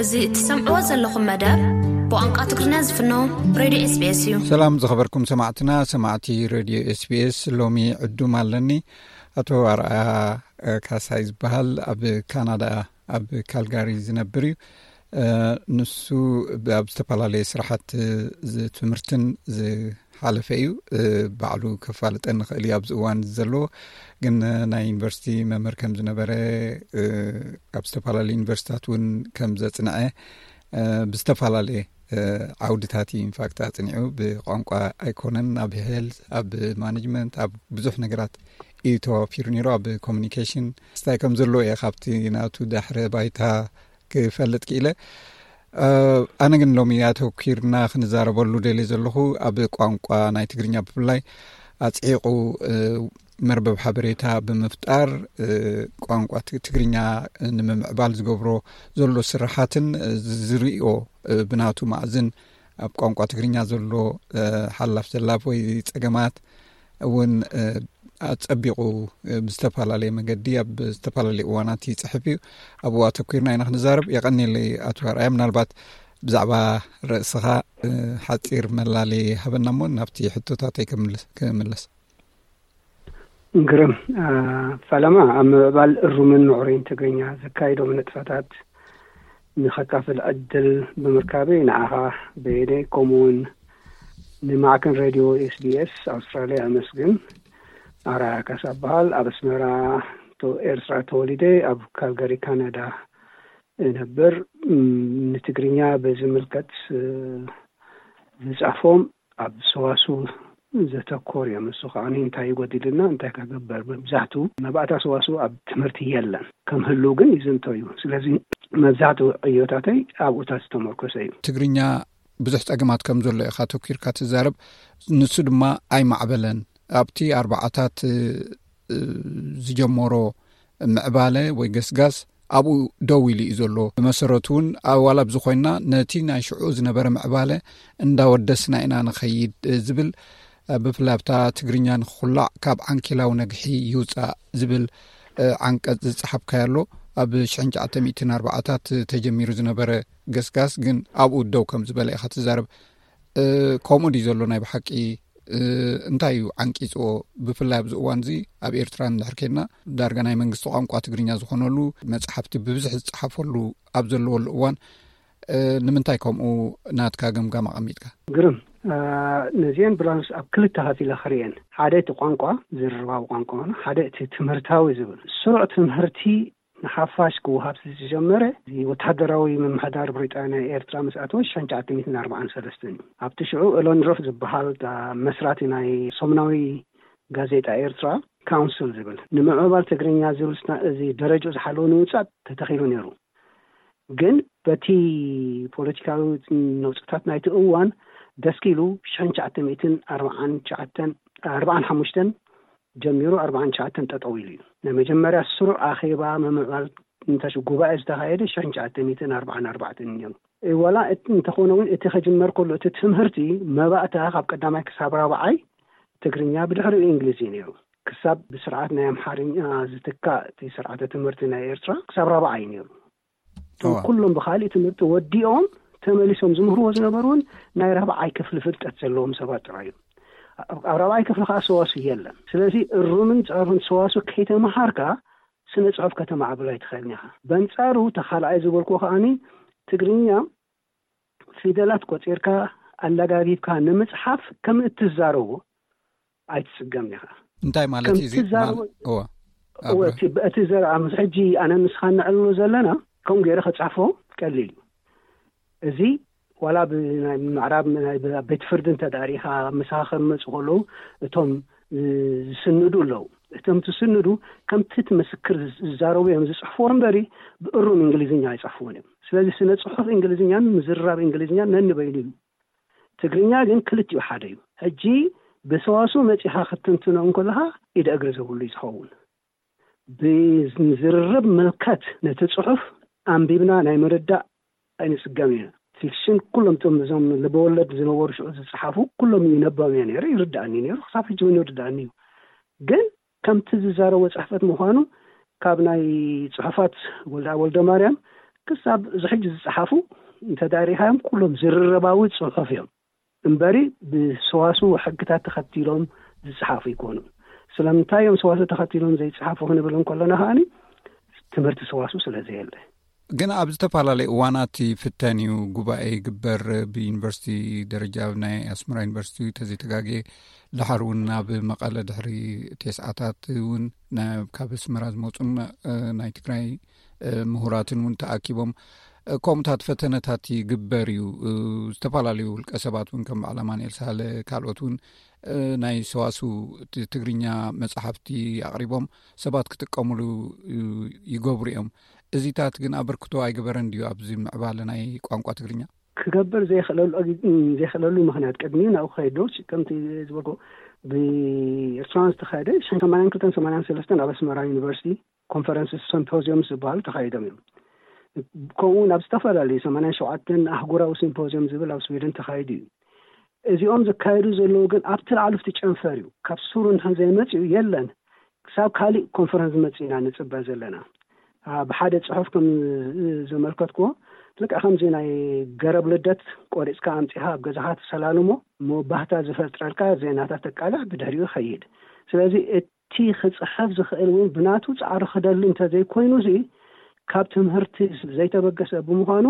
እዚ እትሰምዕዎ ዘለኹም መደብ ብቋንቋ ትግርኛ ዝፍኖ ሬድዮ ኤስቢኤስ እዩ። ሰላም ዝኸበርኩም ሰማዕትና፣ ሰማዕቲ ሬድዮ ኤስቢኤስ፣ ሎሚ ዕዱም ኣለኒ። ኣቶ ኣርኣያ፣ እ፣ ካሳይ ዝበሃል ኣብ ካናዳ ኣብ ካልጋሪ ዝነብር እዩ። እ፣ ንሱ ብ-፣ ኣብ ዝተፈላለየ ስራሓት፣ እ፣ ዝ-፣ ትምህርትን ዝሓለፈ እዩ። እ፣ ባዕሉ ከፋልጠን ንኽእል እዩ ኣብዚ እዋን ዘለዎ። ግን፣ እ፣ ናይ ዩኒቨርሲቲ መምህር ከም ዝነበረ፣ እ፣ ኣብ ዝተፈላለዩ ዩኒቨርሲታት እውን ከም ዘጽንዐ፣ እ፣ ብዝተፈላለየ፣ እ፣ ዓውድታት እዩ ኢንፋክት ኣጽኒዑ። ብቋንቋ ኣይኮነን፣ ኣብ ሄልት፣ ኣብ ማኔጅመንት፣ ኣብ ብዙሕ ነገራት እዩ ተዋፊሩ ነይሩ። ኣብ ኮሚኒኬሽን ስታይ ከም ዘለዎ እየ ካብቲ ናቱ ዳሕረ ባይታ ክፈልጥ ክኢለ። እ፣ ኣነ ግን ሎሚ ኣተኲርና ክንዛረበሉ ደልየ ዘለኹ ኣብ ቋንቋ ናይ ትግርኛ ብፍላይ ኣጽዒቑ፣ እ፣ መርበብ ሓበሬታ ብምፍጣር፣ እ፣ ቋንቋ ት-፣ ትግርኛ ንምምዕባል ዝገብሮ ዘሎ ስራሓትን፣ እ፣ ዝርእዮ፣ እ፣ ብናቱ ማእዝን ኣብ ቋንቋ ትግርኛ ዘሎ፣ እ፣ ሓላፍ ዘላፍ ወይ ጸገማት እውን፣ እ፣ ኣጸቢቑ፣ እ፣ ብዝተፈላለየ መገዲ ኣብ ዝተፈላለየ እዋናት ይጽሕፍ እዩ። ኣብኡ ኣተኲርና ኢና ክንዛረብ። የቐንየለይ ኣቶ ኣርኣያ፣ ምናልባት ብዛዕባ ርእስኻ፣ እ፣ ሓጺር መላለዪ ሃበና እሞ ናብቲ ሕቶታተይ ክምልስ፣ ክምለስ። ግርም፣ እ፣ ፈለማ ኣብ ምዕባል እሩምን ምዕሩይን ትግርኛ ዘካይዶ ንጥፈታት ንኸካፍል ዕድል ብምርካበይ ንዓኻ በየነይ ከምኡውን ንማዕከን ሬድዮ ኤስቢኤስ ኣውስትራልያ ኣመስግን። ኣርኣያ ካሳ እበሃል። ኣብ ኣስመራ ተ-፣ ኤርትራ ተወሊደ ኣብ ካልጋሪ ካናዳ እነብር። እም፣ ንትግርኛ ብዝምልከት፣ እ፣ ዝጽሕፎም ኣብ ሰዋስው ዘተኮር እዮም። እሱ ከኣ እንታይ ይጎድልና፣ እንታይ ከገብር፣ መብዛሕቱ መባእታ ሰዋስው ኣብ ትምህርቲ የለን። ከም ህልው ግን ይዝንቶ እዩ። ስለዚ መብዛሕቱ ዕዮታተይ ኣብኡታት ዝተመርኮሰ እዩ። ትግርኛ ብዙሕ ጸገማት ከም ዘሎ ኢኻ ተኪርካ ትዛረብ። ንሱ ድማ ኣይማዕበለን። ኣብቲ ኣርባዓታት፣ እ፣ ዝጀመሮ ምዕባለ ወይ ገስጋስ ኣብኡ ደው ኢሉ እዩ ዘሎ። ብመሰረቱ እውን ኣዋላ ኣብዚ ኮይና ነቲ ናይ ሽዑ ዝነበረ ምዕባለ እንዳወደስና ኢና ንኸይድ፣ እ፣ ዝብል፣ እ፣ ብፍላይ ኣብታ ትግርኛ ንኽኹላዕ ካብ ዓንኬላዊ ነግሒ ይውጻእ ዝብል፣ እ፣ ዓንቀጽ ዝጸሓፍካዮ ኣሎ። ኣብ ሽሕን ትሽዓተ ሚእትን ኣርባዓታት ተጀሚሩ ዝነበረ ገስጋስ ግን ኣብኡ ደው ከም ዝበለ ኢኻ ትዛረብ። እ፣ ከምኡ ድዩ ዘሎ ናይ ብሓቂ? እ፣ እንታይ እዩ ዓንቂጽዎ? ብፍላይ ኣብዚ እዋን እዚ ኣብ ኤርትራ እንድሕር ኬድና ዳርጋ ናይ መንግስቲ ቋንቋ ትግርኛ ዝኾነሉ መጽሓፍቲ ብብዝሒ ዝጸሓፈሉ ኣብ ዘለወሉ እዋን፣ እ፣ ንምንታይ ከምኡ ናትካ ገምጋም ኣቐሚጥካ? ግርም፣ እ፣ ነዚአን ብላንስ ኣብ ክልተ ከፊለ ክርእየን። ሓደ እቲ ቋንቋ፣ ዝርርባዊ ቋንቋ ማለት፣ ሓደ እቲ ትምህርታዊ ዝብል። ስሩዕ ትምህርቲ ንሓፋሽ ክወሃብ ዝጀመረ እዚ ወተሃደራዊ ምምሕዳር ብሪጣንያ ኤርትራ ምስ ኣተወ ሽሕን ትሽዓተ ሚእትን ኣርባዓን ሰለስተን እዩ። ኣብቲ ሽዑ ኤሎን ድሮፍ ዝበሃል፣ እ፣ መስራቲ ናይ ሰሙናዊ ጋዜጣ ኤርትራ ካውንስል ዝብል፣ ንምዕባል ትግርኛ ዝብል ስና-፣ እዚ ደረጃ ዝሓለወ ንምውጻእ ተተኺሉ ነይሩ። ግን በቲ ፖለቲካዊ ነውጽታት ናይቲ እዋን ደስኪሉ ሽሕን ትሽዓተ ሚእትን ኣርባዓን ትሽዓተን፣ ኣርባዓን ሓሙሽተን ጀሚሩ ኣርባዓን ትሽዓተን ጠጠው ኢሉ እዩ። ናይ መጀመርያ ስሩዕ ኣኼባ ምምዕባል እንታይ ሽዑ ጉባኤ ዝተኻየደ ሽሕን ትሽዓተ ሚእትን ኣርባዓን ኣርባዕተን እዩ ነይሩ። እ፣ ዋላ እቲ እንተኾነ እውን እቲ ከጅመር ከሎ እቲ ትምህርቲ መባእታ ካብ ቀዳማይ ክሳብ ራብዓይ ትግርኛ፣ ብድሕሪኡ እንግሊዝ እዩ ነይሩ። ክሳብ ብስርዓት ናይ ኣምሓርኛ ዝትካእ እቲ ስርዓተ ትምህርቲ ናይ ኤርትራ ክሳብ ራብዓይ እዩ ነይሩ። እቶም እዋ። ኩሎም ብኻሊእ ትምህርቲ ወዲኦም ተመሊሶም ዝምህርዎ ዝነበሩ እውን ናይ ራብዓይ ክፍሊ ፍልጠት ዘለዎም ሰባት ጥራይ እዮም። ኣብ፣ ኣብ ራብዓይ ክፍሊ ከዓ ሰዋስው የለን። ስለዚ እሩምን ጸሩን ሰዋስው ከይተመሃርካ ስነ ጽሑፍ ከተማዕብል ኣይትኽእልን ኢኻ። በንጻሩ፣ ተኻልኣይ ዝበልኩ ከኣኒ ትግርኛ ፊደላት ቆጺርካ ኣለጋጊብካ ንምጽሓፍ ከም እትዛረቦ ኣይትጽገምን ኢኻ። እንታይ ማለት ከም እዩ እዚ? ትዛረቦ ማል-፣ እዋ። እወ፣ ኣብረ። እቲ፣ እቲ ዘረባ ምስ ሕጂ ኣነ ንስኻ ነዕልሎ ዘለና ከምኡ ገይረ ከጻሕፎ ቀሊል እዩ። እዚ ዋላ ብናይ ምዕራብ ናይ ብ-፣ ቤት ፍርዲ እንተ ደኣ ርኢኻ ምሳኻ ከመጹ ከለዉ እቶም ዝ-፣ ዝስንዱ ኣለዉ። እቶም ትስንዱ ከምቲ እቲ ምስክር ዝ-፣ ዝዛረቡ እዮም ዝጽሕፍዎ እምበሪ ብእሩም እንግሊዝኛ ኣይጽሕፍዎን እዮም። ስለዚ ስነ ጽሑፍ እንግሊዝኛን ምዝርራብ እንግሊዝኛን ነንበይኑ እዩ። ትግርኛ ግን ክልቲኡ ሓደ እዩ። ሕጂ ብሰዋስው መጺኻ ክትትንትኖ እንከለኻ ኢደ እግሪ ዘብሉ እዩ ዝኸውን። ብዝርርብ ምልከት ነቲ ጽሑፍ ኣንቢብና ናይ ምርዳእ ኣይንጽገም ኢና። ፊክሽን ኩሎም እቶም እዞም ልበወለድ ዝነበሩ ሽዑ ዝጸሓፉ ኩሎም ይነበብ እየ ነይረ፣ ይርድኣኒ ነይሩ፣ ክሳብ ሕጂ እውን ይርድኣኒ እዩ። ግን ከምቲ ዝዛረቦ ጽሕፈት ምዃኑ ካብ ናይ ጽሑፋት ወልደ፣ ወልደ ማርያም ክሳብ እዚ ሕጂ ዝጸሓፉ እንተ ዳሪኻዮም ኩሎም ዝርርባዊ ጽሑፍ እዮም እምበሪ፣ ብሰዋስው ሕግታት ተኸቲሎም ዝጸሓፉ ይኮኑ። ስለምንታይ እዮም ሰዋስው ተኸቲሎም ዘይጸሓፉ ክንብል እንከለና ከኣኒ ትምህርቲ ሰዋስው ስለ ዘየለ። ግን ኣብ ዝተፈላለዩ እዋናት ይፍተን እዩ። ጉባኤ ይግበር፣ ብዩኒቨርሲቲ ደረጃ፣ ናይ ኣስመራ ዩኒቨርሲቲ ተዘይተጋግየ፣ ድሓር እውን ናብ መቐለ ድሕሪ ቴስዓታት እውን ና-፣ ካብ ኣስመራ ዝመፁን፣ እ፣ ናይ ትግራይ፣ እ፣ ምሁራትን እውን ተኣኪቦም፣ እ፣ ከምኡታት ፈተነታት ይግበር እዩ። እ፣ ዝተፈላለዩ ውልቀ ሰባት እውን ከም በዓል ኣማኑኤል ሳህለ ካልኦት እውን፣ እ፣ ናይ ሰዋስው ት-፣ ትግርኛ መጻሕፍቲ ኣቕሪቦም ሰባት ክጥቀምሉ፣ እ፣ ይገብሩ እዮም። እዚታት ግን ኣበርክቶ ኣይገበረን ድዩ ኣብዚ ምዕባለ ናይ ቋንቋ ትግርኛ? ክገብር ዘይኽእለሉ፣ ዘይኽእለሉ ምኽንያት ቅድሚ ናብኡ ክኸይድ ዶ፣ ከምቲ ዝበልኩ ብኤርትራውያን ዝተኻየደ ሽሕን ሰማንያን ክልተን ሰማንያን ሰለስተን ኣብ ኣስመራ ዩኒቨርሲቲ ኮንፈረንስ ሲምፖዚየም ዝበሃሉ ተኻይዶም እዮም። ከምኡ እውን ኣብ ዝተፈላለዩ ሰማንያን ሸውዓተን ኣህጉራዊ ሲምፖዚየም ዝብል ኣብ ስዊድን ተኻይዱ እዩ። እዚኦም ዝካየዱ ዘለዉ ግን ኣብቲ ላዕሊ ኣብቲ ጨንፈር እዩ። ካብ ሱሩ እንድሕር ዘይመፅኡ የለን። ክሳብ ካሊእ ኮንፈረንስ መፂና ንፅበ ዘለና። አ፣ ብሓደ ፅሑፍ ከም ዘመልከትኩዎ፣ ልክዕ ከምዚ ናይ ገረብ ልደት ቆሪፅካ ኣምፂኻ ኣብ ገዛኻ ትሰላልሞ፣ እሞ ባህታ ዝፈጥረልካ ዜናታት ተቃልዕ ብድሕሪኡ ይኸይድ። ስለዚ እቲ ክፅሕፍ ዝኽእል እውን ብናቱ ፃዕሪ ክደሊ እንተዘይኮይኑ፣ እዚ ካብ ትምህርቲ ዘይተበገሰ ብምዃኑ፣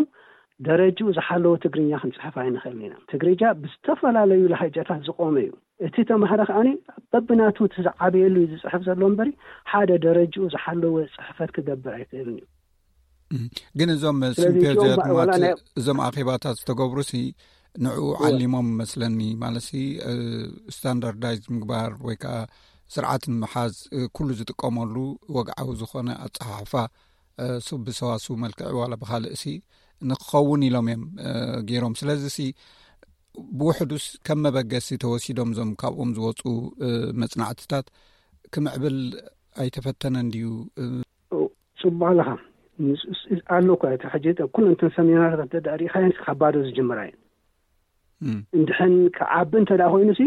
ደረጅኡ ዝሓለወ ትግርኛ ክንፅሕፍ ኣይንኽእልን ኢና። ትግርኛ ብዝተፈላለዩ ላህጃታት ዝቆመ እዩ። እቲ ተማሃሪ ከኣኒ በብናቱ እቲ ዝዓበየሉ እዩ ዝፅሕፍ ዘሎ እምበሪ፣ ሓደ ደረጅኡ ዝሓለወ ፅሕፈት ክገብር ኣይክእልን እዩ። እም፣ ግን እዞም ስለዚ እዚኦም ሲምፖዚያት ባ-፣ ዋላ ማለት ናይ እዞም ኣኼባታት ዝተገብሩ ሲ ንዕኡ እወ። ዓሊሞም መስለኒ። ማለት ሲ፣ እ፣ ስታንዳርዳይዝ ምግባር ወይ ከዓ ስርዓት ንምሓዝ፣ እ፣ ኩሉ ዝጥቀመሉ ወግዓዊ ዝኾነ ኣጸሓሕፋ፣ እ፣ ሱ-፣ ብሰዋስው መልክዕ ዋላ ብኻልእ ሲ ንክኸውን ኢሎም እዮም፣ እ፣ ገይሮም። ስለዚ ሲ ብውሕዱስ ከም መበገሲ ተወሲዶም እዞም ካብኦም ዝወፁ፣ እ፣ መጽናዕትታት ክምዕብል ኣይተፈተነን ድዩ? እ፣ ጽቡቕ ኣለኻ። ምስ-፣ ስ-፣ ኣሎ እኮ እቲ ሕጂ ኩለን እተን ሰሚናራት እንተ ደኣ ርኢኻየን ካብ ባዶ ዝጅምራ እየን። እም። እንድሕን ክዓቢ እንተ ደኣ ኮይኑ ሲ፣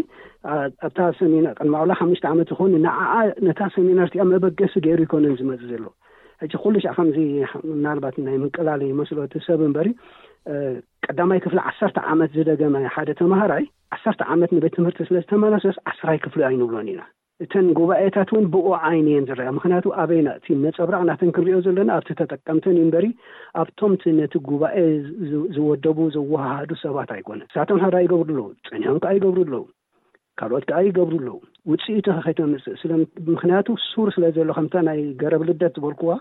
ኣ-፣ ኣብታ ሰሚናር ቅድሚ ዋላ ሓሙሽተ ዓመት ይኹን ንዓኣ ነታ ሰሚናር እቲኣ መበገሲ ገይሩ ይኮነን ዝመጽእ ዘሎ። ሕጂ ኩሉ ሻዕ ከምዚ ምናልባት ናይ ምንቅላል ይመስሎ እቲ ሰብ እምበሪ፣ እ፣ ቀዳማይ ክፍሊ ዓሰርተ ዓመት ዝደገመ ሓደ ተማሃራይ ዓሰርተ ዓመት ንቤት ትምህርቲ ስለ ዝተመለሰስ ዓስራይ ክፍሊ ኣይንብሎን ኢና። እተን ጉባኤታት እውን ብኡ ዓይኒ እየን ዝረኣ። ምኽንያቱ ኣበይና እቲ ነጸብራቕ ናተን ክንሪኦ ዘለና ኣብቲ ተጠቀምተን እዩ እምበሪ ኣብቶም እቲ ነቲ ጉባኤ ዝ-፣ ዝወደቡ ዘወሃሃዱ ሰባት ኣይኮነን። ንሳቶም ሕራ ይገብሩ ኣለዉ፣ ጸኒሖም ከኣ ይገብሩ ኣለዉ፣ ካልኦት ከኣ ይገብሩ ኣለዉ። ውጽኢቱ ከ ከይተምጽእ ስለ፣ ምኽንያቱ ሱር ስለ ዘሎ ከምታ ናይ ገረብ ልደት ዝበልኩዋ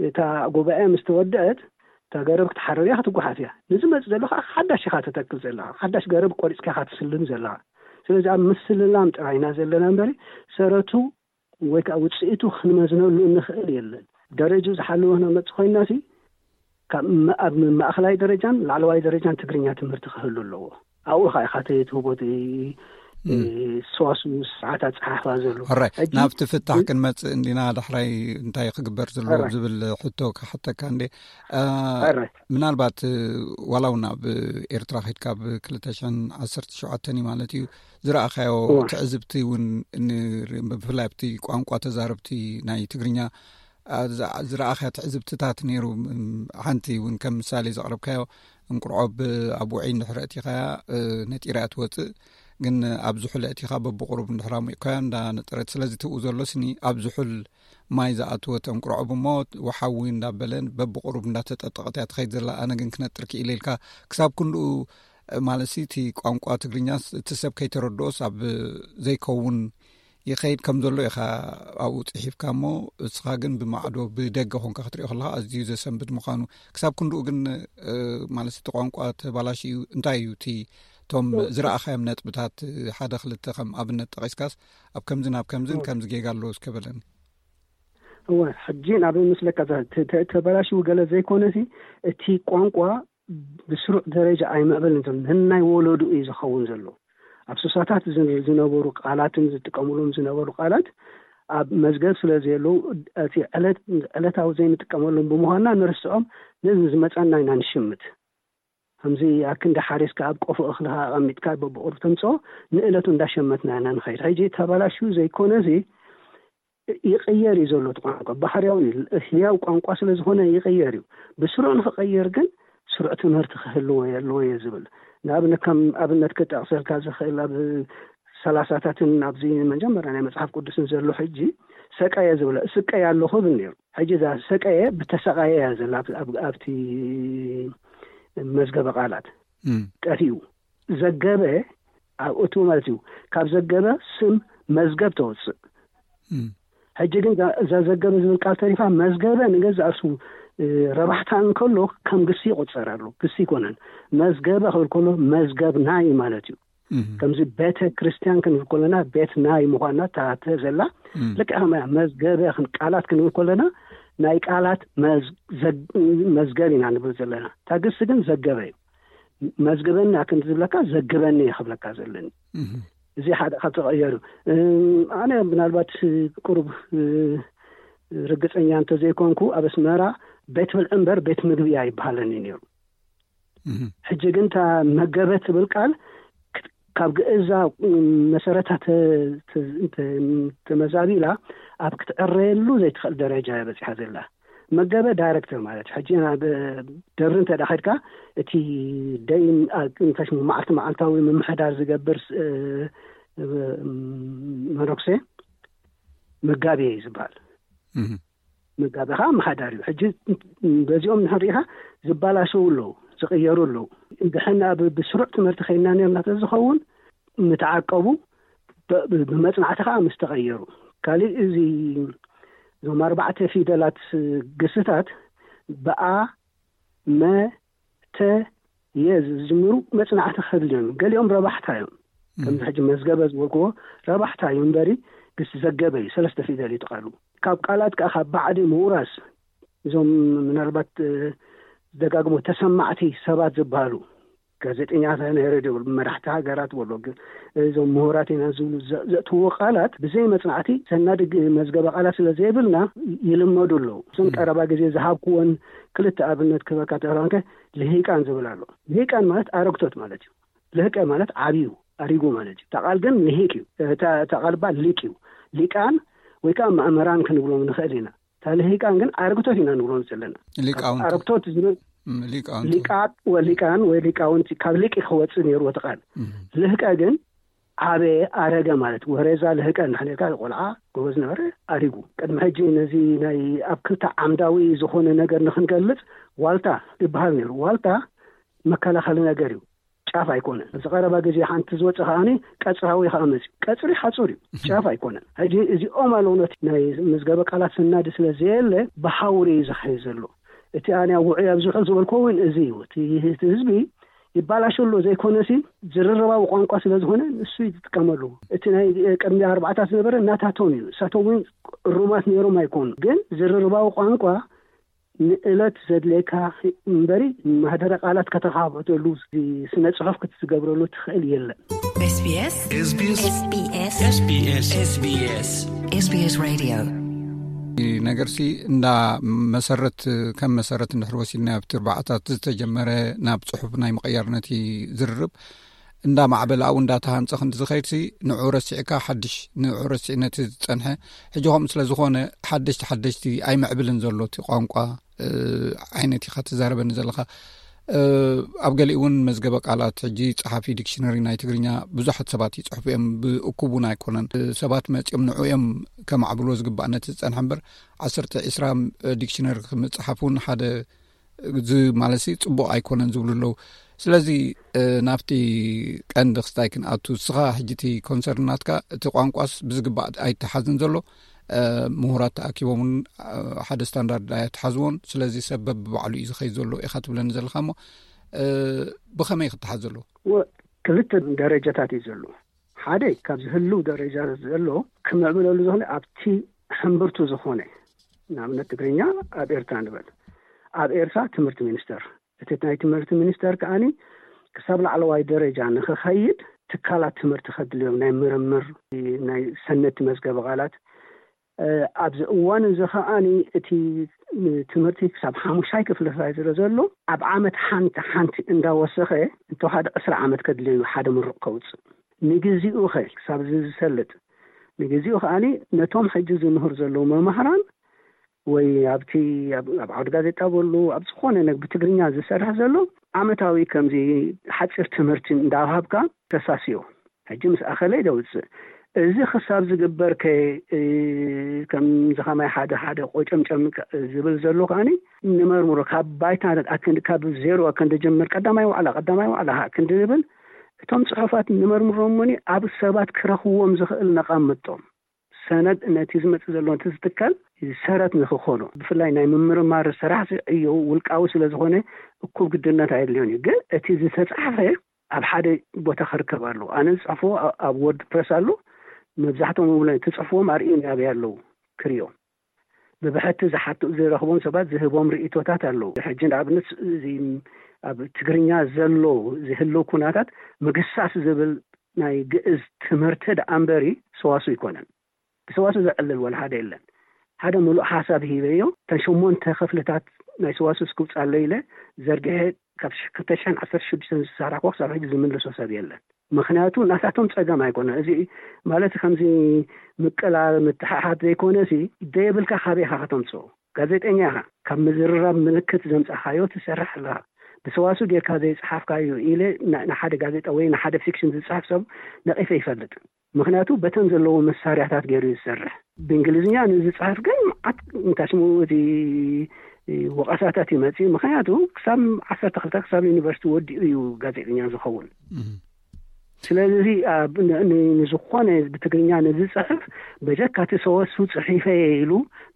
እታ ጉባኤ ምስ ተወደአት እታ ገረብ ክትሓርር እያ ክትጓሓፍ እያ። ንዝመጽእ ዘሎ ከኣ ሓዳሽ ኢኻ ተተክል ዘለኻ። ሓዳሽ ገረብ ቆሪጽካ ኢኻ ትስልም ዘለኻ። ስለዚ ኣብ ምስልላም ጥራይ ኢና ዘለና እምበሪ ሰረቱ ወይ ከዓ ውጽኢቱ ክንመዝነሉ እንኽእል የለን። ደረጅኡ ዝሓለወ ክነመጽእ ኮይንና ሲ ካብ መ-፣ ኣብ ማእኸላይ ደረጃን ላዕለዋይ ደረጃን ትግርኛ ትምህርቲ ክህሉ ኣለዎ። ኣብኡ ኢኻ ኢኻ ትህቦ እቲ፣ እም። እ፣ ሰዋስው ስርዓት ኣጸሓሕፋ ዘሎ። ሕራይ፣ ሕጂ ናብቲ ፍታሕ እ- ክንመጽእ እንዲና፣ ዳሕራይ እንታይ ክግበር ዘለዎ ሕራይ። ዝብል ሕቶ ክሓተካ እንዴ። እ፣ ሕራይ። ምናልባት፣ እ፣ ዋላ እውን ኣብ ኤርትራ ከይድካ ኣብ ክልተ ሽሕን ዓሰርተ ሸውዓተን እዩ ማለት እዩ፣ ዝረኣኻዮ እዋ። ትዕዝብቲ እውን ን-፣ ብፍላይ ኣብቲ ቋንቋ ተዛረብቲ ናይ ትግርኛ፣ ኣ፣ ዝ-፣ ዝረኣኻዮ ትዕዝብትታት ነይሩ። ም-፣ ሓንቲ እውን ከም ምሳሌ ዘቕረብካዮ፣ እንቁርዖብ ኣብ ውዑይ እንድሕር ኣእቲኻያ፣ እ፣ ነጢራ እያ ትወጽእ። ግን ኣብ ዝሑል ኣእቲኻ በብቑሩብ እንድሕር ኣሙቕካዮ እንዳነጠረት፣ ስለዚ ትብኡ ዘሎ ስኒ ኣብ ዝሑል ማይ ዝኣተወት እንቁርዖብ እሞ ወሓዊ እንዳበለ በብቑሩብ እንዳተጠጠቐት እያ ትኸይድ ዘላ። ኣነ ግን ክነጥር ክኢለ ኢልካ ክሳብ ክንድኡ፣ እ፣ ማለት ሲ እቲ ቋንቋ ትግርኛስ እቲ ሰብ ከይተረድኦስ ኣብ ዘይከውን ይኸይድ ከም ዘሎ ኢኻ ኣብኡ ጽሒፍካ እሞ፣ እስኻ ግን ብማዕዶ ብደገ ኾንካ ክትሪኦ ከለኻ ኣዝዩ ዘሰንብድ ምዃኑ። ክሳብ ክንድኡ ግን፣ እ፣ ማለት እቲ ቋንቋ ተባላሽዩ እንታይ እዩ እቲ፣ እቶም እው። ዝረኣኻዮም ነጥብታት ሓደ ክልተ ከም ኣብነት ጠቒስካስ ኣብ ከምዝን ኣብ ከምዝን እው። ከምዚ ጌጋ ኣለዎ እስከ በለኒ። እወ፣ ሕጂ ናብ ምስለካ ዘ-፣ ተ-፣ ተ-፣ ተበላሽዩ ገለ ዘይኮነ ሲ፣ እቲ ቋንቋ ብስሩዕ ደረጃ ኣይምዕበልን ዘሎ፣ ነናይ ወለዱ እዩ ዝኸውን ዘሎ። ኣብ ሱሳታት ዝ-፣ ዝነበሩ ቃላትን ዝጥቀሙሎም ዝነበሩ ቃላት ኣብ መዝገብ ስለ ዘየለዉ፣ እቲ ዕለት፣ ዕለታዊ ዘይንጥቀመሎም ብምዃንና ንርስዖም፣ ነዚ ዝመጸና ኢና ንሽምት። ከምዚ ኣክንዲ ሓሪስካ ኣብ ቆፎ እኽልኻ ኣቐሚጥካ በብቑሩብ ተምጽኦ፣ ንእለቱ እንዳሸመትና ኢና ንኸይድ። ሕጂ ተበላሽዩ ዘይኮነ እዚ ይቕየር እዩ ዘሎ። እቲ ቋንቋ ባህርያዊ እዩ። ህያው ቋንቋ ስለ ዝኾነ ይቕየር እዩ። ብስሩዕ ንኽቐየር ግን ስሩዕ ትምህርቲ ክህልዎ የለዎ እየ ዝብል። ንኣብነት፣ ከም ኣብነት ክጠቕሰልካ ዝኽእል፣ ኣብ ሰላሳታትን ኣብዚ መጀመርያ ናይ መጽሓፍ ቅዱስን ዘሎ ሕጂ ሰቀየ ዝብለ፣ ስቀየ ኣለኹ ብል ነይሩ። ሕጂ እዛ ሰቀየ ብተሰቃየ እያ ዘላ ኣብ- ኣብቲ መዝገበ ቃላት። ጠፊኡ ዘገበ ኣብእቱ ማለት እዩ። ካብ ዘገበ ስም መዝገብ ተወፅእ። ሕጂ ግን እዛ ዘገበ ዝብል ቃል ተሪፋ፣ መዝገበ ንገዛእ ርእሱ ረባሕታ እንከሎ ከም ግሲ ይቆፀር ኣሎ። ግሲ ይኮነን። መዝገበ ክብል ከሎ መዝገብ ናይ ማለት እዩ። ከምዚ ቤተ ክርስቲያን ክንብል ከለና ቤት ናይ ምኳና ታተ ዘላ ልክዕ ከመያ መዝገበ ቃላት ክንብል ከለና ናይ ቃላት መዝገብ ኢና ንብል ዘለና። እታ ግሲ ግን ዘገበ እዩ። መዝግበኒ ኣክን ዝብለካ ዘግበኒ እየ ክብለካ ዘለኒ። እዚ ሓደ ካብ ተቐየሩ። ኣነ ምናልባት ቁሩብ ርግፀኛ እንተዘይኮንኩ ኣብ ኣስመራ ቤት ብልዒ እምበር ቤት ምግቢ ኣይበሃለኒ ነይሩ። ሕጂ ግን እታ መገበ ትብል ቃል ካብ ግእዛ መሰረታ ተመዛቢላ ኣብ ክትዕረየሉ ዘይትኽእል ደረጃ እያ በፂሓ ዘላ። መገበ ዳይሬክተር ማለት ሕጂ ናብ ደብሪ እንተ ዳኸድካ እቲ ደይ እንታይ ሽሙ መዓልቲ መዓልታዊ ምምሕዳር ዝገብር መነኩሴ መጋቢ እዩ ዝበሃል። መጋቢ ከዓ ኣመሓዳሪ እዩ። ሕጂ በዚኦም ንሕን ርኢኻ ዝበላሸው ኣለዉ፣ ዝቕየሩ ኣለዉ። እንድሕና ብስሩዕ ትምህርቲ ከይና ነርና ተዝኸውን ምተዓቀቡ ብመፅናዕቲ ከዓ ምስ ተቐየሩ። ካሊእ እዚ እዞም ኣርባዕተ ፊደላት ግስታት ብኣ መ ተ የ ዝጅምሩ መፅናዕቲ ክህብል እዮም። ገሊኦም ረባሕታ እዮም። ከምዚ ሕጂ መዝገበ ዝበልክዎ ረባሕታ እዩ እምበሪ ግስ ዘገበ እዩ። ሰለስተ ፊደል እዩ ቃሉ። ካብ ቃላት ከዓ ካብ ባዕዲ ምውራስ እዞም ምናልባት ደጋግሞ ተሰማዕቲ ሰባት ዝበሃሉ ጋዜጠኛታት ናይ ሬድዮ፣ መራሕቲ ሃገራት በሎ፣ እዞም ምሁራት ኢና ዝብሉ ዘእትዎ ቃላት ብዘይ መፅናዕቲ ሰናዲ መዝገበ ቃላት ስለ ዘይብልና ይልመዱ ኣለዉ። እዞም ቀረባ ግዜ ዝሃብክዎን ክልተ ኣብነት ክበካ ተራንከ ልሂቃን ዝብል ኣሎ። ልሂቃን ማለት ኣረግቶት ማለት እዩ። ልህቀ ማለት ዓብዩ ኣሪጉ ማለት እዩ። እታ ቃል ግን ልሂቅ እዩ። እታ ቃል ባ ሊቅ እዩ። ሊቃን ወይ ከዓ መእመራን ክንብሎም ንኽእል ኢና። እታ ልሂቃን ግን ኣረግቶት ኢና ንብሎም ዘለና። ሊቃውንቲ። ኣረግቶት ዝብል ሊቃውንቲ። ሊቃት ወሊቃን ወይ ሊቃውንቲ ካብ ሊቅ ክወፅእ ነይሩ እቲ ቃል። ልህቀ ግን ዓበየ ኣረገ ማለት ወሬዛ ልህቀ እንድሕር ነርካ ቆልዓ ጎበዝ ነበረ ኣሪጉ። ቅድሚ ሕጂ ነዚ ናይ ኣብ ክልተ ዓምዳዊ ዝኾነ ነገር ንክንገልፅ ዋልታ ይበሃል ነይሩ። ዋልታ መከላኸሊ ነገር እዩ። ጫፍ ኣይኮነን። ኣብዚ ቀረባ ግዜ ሓንቲ ዝወፀ ከዓኒ ቀፅራዊ ከዓ መፅዩ። ቀፅሪ ሓፁር እዩ፣ ጫፍ ኣይኮነን። ሕጂ እዚኦም ኣለዉ ነቲ ናይ መዝገበ ቃላት ሰናዲ ስለ ዘየለ ብሃውሪ እዩ ዝኸይ ዘሎ። እቲ ኣነ ውዑይ ኣብዝሑ ዝበልኮ እውን እዚ እዩ። እቲ ህዝቢ ይባላሸ ኣሎ ዘይኮነሲ ዝርርባዊ ቋንቋ ስለ ዝኾነ ንሱ ይጥቀመሉ። እቲ ናይ ቅድሚ ኣርባዕታት ዝነበረ እናታቶም እዩ። እሳቶም እውን እሩማት ነይሮም ኣይኮኑ፣ ግን ዝርርባዊ ቋንቋ ንእለት ዘድልየካ እምበሪ ማህደረ ቃላት ከተኻብተሉ ስነ ጽሑፍ ክትዝገብረሉ ትኽእል የለን። SBS SBS SBS SBS SBS SBS Radio። ነገርሲ እንዳ መሰረት ከም መሰረት እንድሕር ወሲድና ኣብቲ ኣርባዕታት ዝተጀመረ ናብ ጽሑፍ ናይ ምቕያር ነቲ ዝርርብ እንዳ ማዕበለ ኣብኡ እንዳተሃንጸ ክንዲ ዝኸይድሲ ንዑ ረሲዕካ ሓድሽ ንዑ ረሲዕ ነቲ ዝጸንሐ ሕጂ ከምኡ ስለ ዝኾነ ሓደሽቲ ሓደሽቲ ኣይምዕብልን ዘሎ እቲ ቋንቋ ዓይነት ኢኻ ትዛረበኒ ዘለኻ። ኣብ ገሊኡ እውን መዝገበ ቃላት ሕጂ ጸሓፊ ዲክሽነሪ ናይ ትግርኛ ብዙሓት ሰባት ይጽሕፉ እዮም። ብእኩብ እውን ኣይኮነን። ሰባት መጺኦም ንዑ እዮም ከማዕብልዎ ዝግባእ ነቲ ዝጸንሐ እምበር ዓሰርተ ዒስራ ዲክሽነሪ ክምጽሓፍ እውን ሓደ እዚ ማለት ጽቡቕ ኣይኮነን ዝብሉ ኣለዉ። ስለዚ ናብቲ ቀንዲ ክስታይ ክንኣቱ፣ እስኻ ሕጂ እቲ ኮንሰርን ናትካ እቲ ቋንቋስ ብዝግባእ ኣይተሓዝን ዘሎ፣ ምሁራት ተኣኪቦም እውን ሓደ ስታንዳርድ ኣይተሓዝዎን። ስለዚ ሰብ በብባዕሉ እዩ ዝኸይድ ዘሎ ኢኻ ትብለኒ ዘለኻ እሞ ብኸመይ ክተሓዝ ዘለዎ? ክልተ ደረጃታት እዩ ዘሎ። ሓደ ካብ ዝህልው ደረጃ ዘሎ ክምዕብለሉ ዝኾነ ኣብቲ ሕምብርቱ ዝኾነ ንኣብነት ትግርኛ ኣብ ኤርትራ ንበል ኣብ ኤርትራ ትምህርቲ ሚኒስተር እቲ ናይ ትምህርቲ ሚኒስተር ከዓኒ ክሳብ ላዕለዋይ ደረጃ ንክኸይድ ትካላት ትምህርቲ ከድልዮም ናይ ምርምር ናይ ሰነድቲ መዝገበ ቃላት ኣብዚ እዋን እዚ ከዓኒ እቲ ትምህርቲ ክሳብ ሓሙሻይ ክፍሊ ስለ ዘሎ ኣብ ዓመት ሓንቲ ሓንቲ እንዳወሰኸ እንተወሓደ ዕስራ ዓመት ከድልዮ ሓደ ምሩቕ ከውፅእ ንግዚኡ ኸ ክሳብ እዚ ዝሰልጥ ንግዜኡ ከዓኒ ነቶም ሕጂ ዝምህር ዘለዉ መማህራን ወይ ኣብቲ ኣብ ዓውዲ ጋዜጣ በሉ ኣብ ዝኾነ ነግ ብትግርኛ ዝሰርሕ ዘሎ ዓመታዊ ከምዚ ሓፂር ትምህርቲ እንዳሃብካ ተሳስዮ ሕጂ ምስ ኣኸለይ ደውፅእ። እዚ ክሳብ ዝግበር ከ ከምዚ ከማይ ሓደ ሓደ ቆጨምጨም ዝብል ዘሎ ከዓኒ ንመርምሮ ካብ ባይታ ኣክንዲ ካብ ዜሮ ክንድጅምር ቀዳማይ ዋዕላ ቀዳማይ ዋዕላ ክንዲ ዝብል እቶም ፅሑፋት ንመርምሮም እሞኒ ኣብ ሰባት ክረኽዎም ዝኽእል ነቐምጦም ሰነድ ነቲ ዝመፅእ ዘሎ ነቲ ዝትከል ሰረት ንክኾኖ ብፍላይ ናይ ምምርማር ስራሕ ዕዮ ውልቃዊ ስለ ዝኾነ እኩብ ግድነት ኣየድልዮን እዩ። ግን እቲ ዝተፃሕፈ ኣብ ሓደ ቦታ ክርከብ ኣለዎ። ኣነ ዝፅሕፎ ኣብ ወርድ ፕረስ ኣሎ። መብዛሕትኦም እውን ትፅሕፍዎም ኣርእዮም ያበይ ኣለዉ ክሪኦም ብብሕቲ ዝሓቱ ዝረኽቦም ሰባት ዝህቦም ርእቶታት ኣለዉ። ሕጂ ንኣብነት እዚ ኣብ ትግርኛ ዘሎ ዝህልው ኩናታት ምግሳስ ዝብል ናይ ግእዝ ትምህርቲ ደኣ እምበሪ ሰዋሱ ኣይኮነን። ብሰዋሱ ዘዕልል ወላ ሓደ የለን። ሓደ ምሉእ ሓሳብ ሂበዮ። እተን ሸሞንተ ክፍልታት ናይ ሰዋሱ እስክውፃለይ ኢለ ዘርግሐ ካብ ክልተ ሽሕን ዓሰርተ ሽዱሽተን ዝሰራሕኩ ክሳብ ሕጂ ዝምልሶ ሰብ የለን። ምክንያቱ ናታቶም ፀገም ኣይኮነ። እዚ ማለት ከምዚ ምቅላል ምትሓሓት ዘይኮነ ሲ ደየብልካ ካበይ ኢኻ ከተምፅኦ? ጋዜጠኛ ኢኻ። ካብ ምዝርራብ ምልክት ዘምፃኻዮ ትሰርሕ ኣለኻ። ብሰዋሱ ጌርካ ዘይፀሓፍካዮ ኢለ ንሓደ ጋዜጣ ወይ ንሓደ ፊክሽን ዝፅሕፍ ሰብ ነቒፈ ይፈልጥ። ምክንያቱ በተን ዘለዎ መሳርያታት ገይሩ ዝሰርሕ። ብእንግሊዝኛ ንዝፅሕፍ ግን መዓት እንታይ ሽሙ እቲ ወቐሳታት ይመፅእ። ምክንያቱ ክሳብ ዓሰርተ ክልተ ክሳብ ዩኒቨርሲቲ ወዲኡ እዩ ጋዜጠኛ ዝኸውን። ስለዚ ንዝኾነ ብትግርኛ ንዝፅሕፍ በጀካ እቲ ሰወሱ ፅሒፈ ኢሉ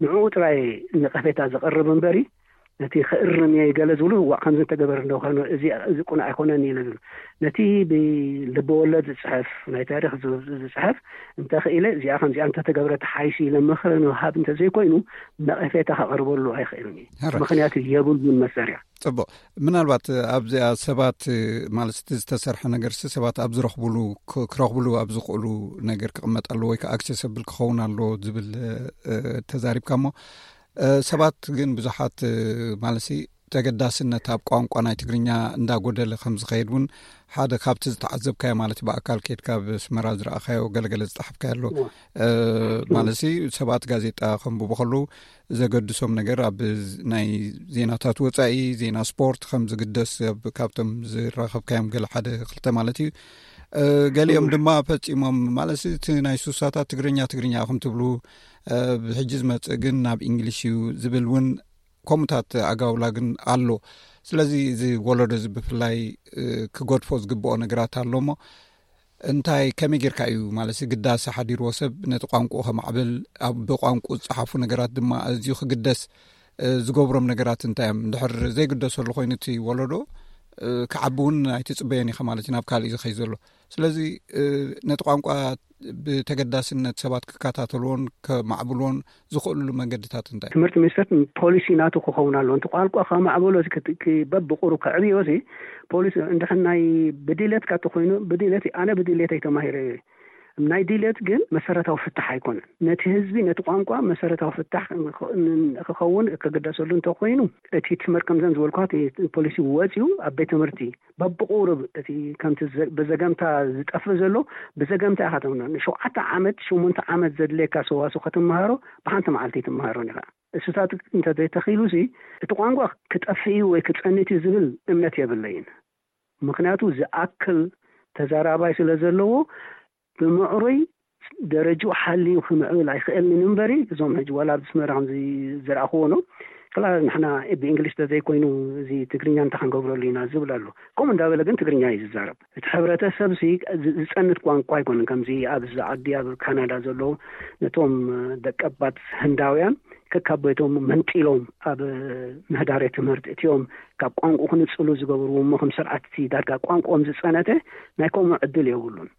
ንዕኡ ጥራይ ነቐፌታ ዘቐርብ እምበሪ ነቲ ክእርም እየ ገለ ዝብሉ ዋእ ከምዚ እንተገበር እንዶ ኮይኑ እዚ እዚ ቁኑዕ ኣይኮነን ኢለ ዝብሉ ነቲ ብልበወለድ ዝፅሕፍ ናይ ታሪክ ዝፅሕፍ እንተኽኢለ እዚኣ ከምዚኣ እንተተገብረ ተሓይሽ ኢለ ምኽሪ ንሃብ እንተዘይኮይኑ ነቐፌታ ከቐርበሉ ኣይኽእልን እዩ። ምክንያቱ የብሉን መሰርያ። ፅቡቅ። ምናልባት ኣብዚኣ ሰባት ማለት እቲ ዝተሰርሐ ነገር ሰባት ኣብ ዝረኽብሉ ክረኽብሉ ኣብ ዝኽእሉ ነገር ክቕመጥ ኣለዎ ወይ ከዓ ኣክሴሰብል ክኸውን ኣለዎ ዝብል ተዛሪብካ እሞ ሰባት ግን ብዙሓት ማለት ተገዳስነት ኣብ ቋንቋ ናይ ትግርኛ እንዳጎደለ ከም ዝኸይድ እውን ሓደ ካብቲ ዝተዓዘብካዮ ማለት ብኣካል ከድካ ኣብ ኣስመራ ዝረኣኻዮ ገለገለ ዝፀሓፍካዮ ኣሎ ማለት ሰባት ጋዜጣ ከንብቡ ከለዉ ዘገድሶም ነገር ኣብ ናይ ዜናታት ወፃኢ ዜና ስፖርት ከም ዝግደስ ካብቶም ዝራኸብካዮም ገለ ሓደ ክልተ ማለት እዩ። ገሊኦም ድማ ፈፂሞም ማለት እቲ ናይ ሱሳታት ትግርኛ ትግርኛ ኢኹም ትብሉ ብሕጂ ዝመፅእ ግን ናብ ኢንግሊሽ እዩ ዝብል እውን ከምኡታት ኣጋውላ ግን ኣሎ። ስለዚ እዚ ወለዶ እዚ ብፍላይ ክገድፎ ዝግብኦ ነገራት ኣሎ እሞ እንታይ ከመይ ጌርካ እዩ ማለት ግዳሰ ሓዲርዎ ሰብ ነቲ ቋንቁኡ ከማዕብል ብቋንቁ ዝፀሓፉ ነገራት ድማ ኣዝዩ ክግደስ ዝገብሮም ነገራት እንታይ እዮም? ድሕር ዘይግደሰሉ ኮይኑ እቲ ወለዶ ክዓቢ እውን ኣይትፅበዮን ኢኻ ማለት እዩ ናብ ካልእ ዝኸይ ዘሎ። ስለለዚ ነቲ ቋንቋ ብተገዳስነት ሰባት ክከታተልዎን ከማዕብልዎን ዝኽእልሉ መንገድታት እንታይ? ትምህርቲ ሚኒስተር ፖሊሲ ናቱ ክኸውን ኣለዎ። እቲ ቋንቋ ከማዕበሎ በብቁሩ ከዕብዮ ሲ ፖሊሲ እንድሕር ናይ ብድሌትካ ተኮይኑ ብድሌት ኣነ ብድሌት ኣይተማሂረ ናይ ድሌት ግን መሰረታዊ ፍታሕ ኣይኮነን። ነቲ ህዝቢ ነቲ ቋንቋ መሰረታዊ ፍታሕ ክኸውን ክግደሰሉ እንተኮይኑ እቲ ትምህርቲ ከምዘን ዝበልኳት ፖሊሲ ወፂኡ ኣብ ቤት ትምህርቲ በብቁሩብ እቲ ከምቲ ብዘገምታ ዝጠፍእ ዘሎ ብዘገምታ ኢኻ ተምኖ። ንሸውዓተ ዓመት ሸሞንተ ዓመት ዘድልየካ ሰዋሱ ከተመሃሮ ብሓንቲ መዓልቲ ኣይትመሃሮን ኢኻ። እሱታት እንተዘይተኺሉ ሲ እቲ ቋንቋ ክጠፍእ እዩ ወይ ክፀንት እዩ ዝብል እምነት የብለይን። ምክንያቱ ዝኣክል ተዛራባይ ስለ ዘለዎ ብምዕሩይ ደረጅኡ ሓልዩ ክምዕብል ኣይኽእልን እምበሪ እዞም ሕጂ ዋላ ኣብ ኣስመራ ከምዚ ዝረኣኽዎ ነው ክላ ንሕና ብእንግሊሽ ተዘይኮይኑ እዚ ትግርኛ እንታይ ክንገብረሉ ኢና ዝብል ኣሎ። ከምኡ እንዳበለ ግን ትግርኛ እዩ ዝዛረብ። እቲ ሕብረተሰብ ሲ ዝፀንት ቋንቋ ኣይኮነን። ከምዚ ኣብዚ ዓዲ ኣብ ካናዳ ዘለዉ ነቶም ደቀባት ህንዳውያን ከካብ ቤቶም መንጢሎም ኣብ ምህዳሬ ትምህርቲ እቲኦም ካብ ቋንቁ ክንፅሉ ዝገብርዎ እሞ ከም ስርዓት እቲ ዳርጋ ቋንቁኦም ዝፀነተ ናይ ከምኡ ዕድል የብሉን።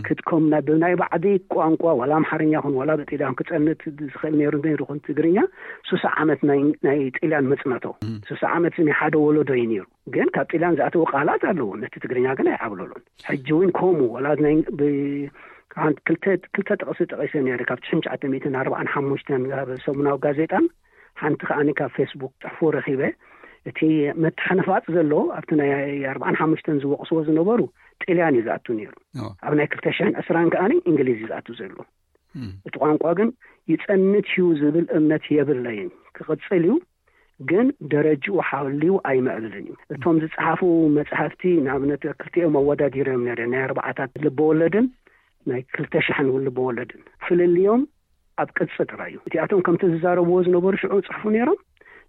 ክትኮም ብናይ ባዕዲ ቋንቋ ዋላ ኣምሓርኛ ኹን ዋላ ብጥልያን ክፀንት ዝኽእል ነይሩ ነይሩ ኹን ትግርኛ ሱሳ ዓመት ናይ ጥልያን መፅነቶ ሱሳ ዓመት ናይ ሓደ ወለዶ እዩ ነይሩ። ግን ካብ ጥልያን ዝኣተዉ ቃላት ኣለዉ ነቲ ትግርኛ ግን ኣይዓብለሉን። ሕጂ እውን ከምኡ ዋላ ናይ ክልተ ጥቕሲ ጠቒሰ ነይረ ካብ ትሽን ትሽዓተ ሚእትን ኣርባዓን ሓሙሽተን ኣብ ሰሙናዊ ጋዜጣን ሓንቲ ከዓኒ ካብ ፌስቡክ ፅሕፎ ረኺበ። እቲ መተሓነፋፅ ዘሎ ኣብቲ ናይ ኣርባዓን ሓሙሽተን ዝወቕስዎ ዝነበሩ ጥልያን እዩ ዝኣቱ ነይሩ። ኣብ ናይ ክልተ ሽሕን ዕስራን ከዓኒ እንግሊዝ እዩ ዝኣቱ ዘሎ። እቲ ቋንቋ ግን ይጸንት እዩ ዝብል እምነት የብለይን። ክቕጽል እዩ፣ ግን ደረጅኡ ሓልዩ ኣይምዕብልን እዩ። እቶም ዝጸሓፉ መጽሓፍቲ፣ ንኣብነት ክልቲኦም ኣወዳዲሮም ነይረ፣ ናይ ኣርባዓታት ልበወለድን ናይ ክልተ ሸሕን ልበወለድን። ፍልልዮም ኣብ ቅጽ ጥራይ እዩ። እቲኣቶም ከምቲ ዝዛረብዎ ዝነበሩ ሽዑ ጽሕፉ ነይሮም፣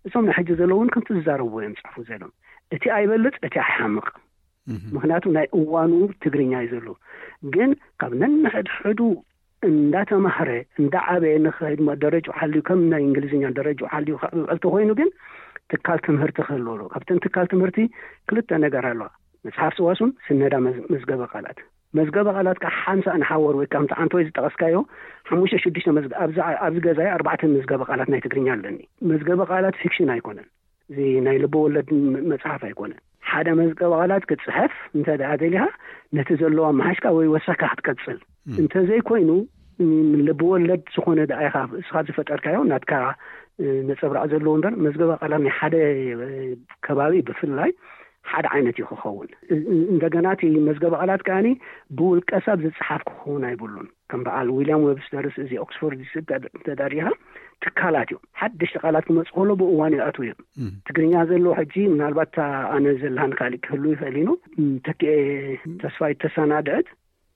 እቶም ናይ ሕጂ ዘለውን ከምቲ ዝዛረብዎ እዮም ጽሕፉ ዘለዉ። እቲ ኣይበልጽ፣ እቲ ኣይሓምቕ። ምክንያቱ ናይ እዋኑ ትግርኛ እዩ ዘሎ። ግን ካብ ነንሕድሕዱ እንዳተማህረ እንዳዓበየ ንኸይድ፣ ደረጅኡ ሓልዩ፣ ከም ናይ እንግሊዝኛ ደረጅኡ ሓልዩ ክዕብዕል ተኮይኑ ግን ትካል ትምህርቲ ክህልዎ ኣለዎ። ካብተን ትካል ትምህርቲ ክልተ ነገር ኣለዋ፣ መጽሓፍ ሰዋስውን ስነዳ መዝ- መዝገበ ቃላት። መዝገበ ቃላት ከዓ ሓምሳ ንሓወር ወይ ከምቲ ዓንተወይ ዝጠቐስካዮ ሓሙሽተ ሽዱሽተ መዝገ- ኣብዚ ኣብዚ ገዛይ ኣርባዕተ መዝገበ ቃላት ናይ ትግርኛ ኣለኒ። መዝገበ ቃላት ፊክሽን ኣይኮነን፣ እዚ ናይ ልበ ወለድ ም- መጽሓፍ ኣይኮነን። ሓደ መዝገበ ቃላት ክትጽሕፍ እንተ ደኣ ደሊኻ ነቲ ዘለዋ መሓሽካ ወይ ወሰካ ክትቀጽል፣ እንተዘይኮይኑ ን- ልበ ወለድ ዝኾነ ደኣ ኢኻ እስኻ ዝፈጠርካዮ ናትካ ነጸብራቕ ዘለዎ እምበር፣ መዝገበ ቃላት ናይ ሓደ ከባቢ ብፍላይ ሓደ ዓይነት እዩ ክኸውን። እንደገና እቲ መዝገበ ቃላት ከኣኒ ብውልቀ ሰብ ዝጸሓፍ ክኸውን ኣይብሉን። ከም በዓል ዊልያም ዌብስተርስ እዚ ኦክስፎርድ ተዳሪኻ ትካላት እዮም። ሓደሽቲ ቃላት ክመጽእ ከሎ ብእዋን ይኣትዉ እዮም። ትግርኛ ዘለዎ ሕጂ ምናልባት ኣነ ዘለሃን ካልእ ክህሉ ይኽእል ኢኑ ተኪኤ ተስፋይ ተሰናድዐት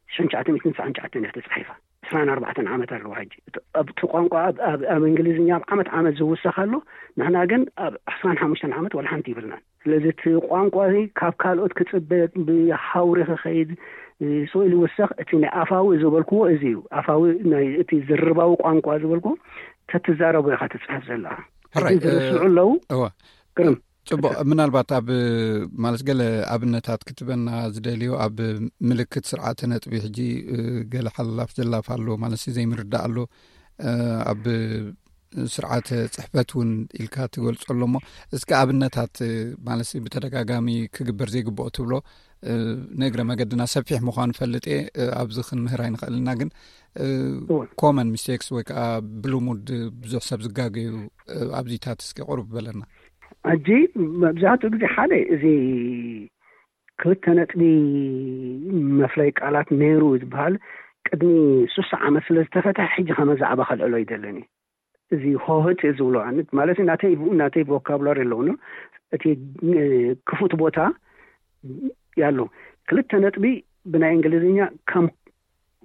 ሽሕን ትሽዓተ ሚእትን ትስዓን ትሽዓተን እያ ተጻሒፋ። ዕስራን ኣርባዕተን ዓመት ኣለዋ ሕጂ። እቲ ቋንቋ ኣብ እንግሊዝኛ ኣብ ዓመት ዓመት ዝውሰኽ ኣሎ። ንሕና ግን ኣብ ዕስራን ሓሙሽተን ዓመት ዋላ ሓንቲ ይብልናን። ስለዚ እቲ ቋንቋ እዚ ካብ ካልኦት ክጽበ ብሃውሪ ክኸይድ ስወይ ዝውሰኽ እቲ ናይ ኣፋዊ ዝበልክዎ እዚ እዩ። ኣፋዊ ናይ እቲ ዝርባዊ ቋንቋ ዝበልክዎ ተትዛረቦ ኢኻ ትጽሕፍ ዘለኻ። ሕጂ ዝርስዑ ኣለዉ። ግርም ጽቡቕ። ምናልባት ኣብ ማለት ገለ ኣብነታት ክትበና ዝደልዮ ኣብ ምልክት ስርዓተ ነጥቢ ሕጂ ገለ ሓላፍ ዘላፍ ኣሎ ማለት ዘይምርዳእ ኣሎ። ኣብ ስርዓተ ጽሕፈት እውን ኢልካ ትገልጾ ኣሎ እሞ እስከ ኣብነታት ማለት ብተደጋጋሚ ክግበር ዘይግብኦ ትብሎ ንእግረ መገድና ሰፊሕ ምዃኑ ፈልጥ እየ። ኣብዚ ክንምህር ኣይንኽእልና ግን ኮመን ሚስቴክስ ወይ ከዓ ብልሙድ ብዙሕ ሰብ ዝጋገዩ ኣብዚታት እስከ ቁሩብ በለና። ሕጂ መብዛሕትኡ ግዜ ሓደ እዚ ክልተ ነጥቢ መፍለይ ቃላት ነይሩ ዝበሃል ቅድሚ ሱሳ ዓመት ስለ ዝተፈትሐ ሕጂ ከመ ዛዕባ ከልዕሎ ይደለኒ። እዚ ሆህት ዝብሎ ማለት ናተይ ናተይ ቮካብላሪ ኣለውኒ። እቲ ክፉት ቦታ ያለው ክልተ ነጥቢ ብናይ እንግሊዝኛ ከም